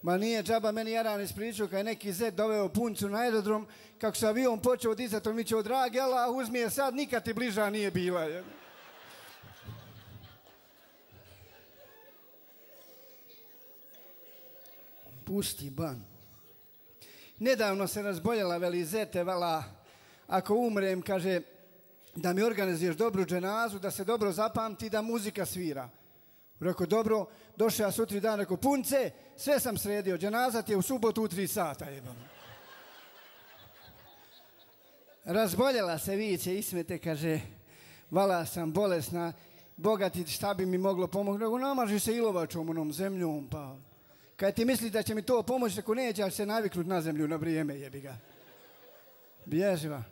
Ma nije džaba meni Jaran ispričao kad je neki zet doveo puncu na aerodrom, kako se avion počeo dizati, on mi će dragi Allah, uzmi je sad, nikad ti bliža nije bila. Pusti ban. Nedavno se razboljela, veli zete, vala, ako umrem, kaže, da mi organizuješ dobru dženazu, da se dobro zapamti, da muzika svira. Rekao, dobro, došao ja sutri dan, rekao, punce, sve sam sredio, dženaza ti je u subotu u 3 sata, jebam. Razboljela se, viće, ismete, kaže, vala sam bolesna, Boga ti šta bi mi moglo pomoći, rekao, namaži se ilovačom onom zemljom, pa... Kad ti misli da će mi to pomoći, rekao, neće, ali se naviknut na zemlju na vrijeme, jebi ga. Bježiva.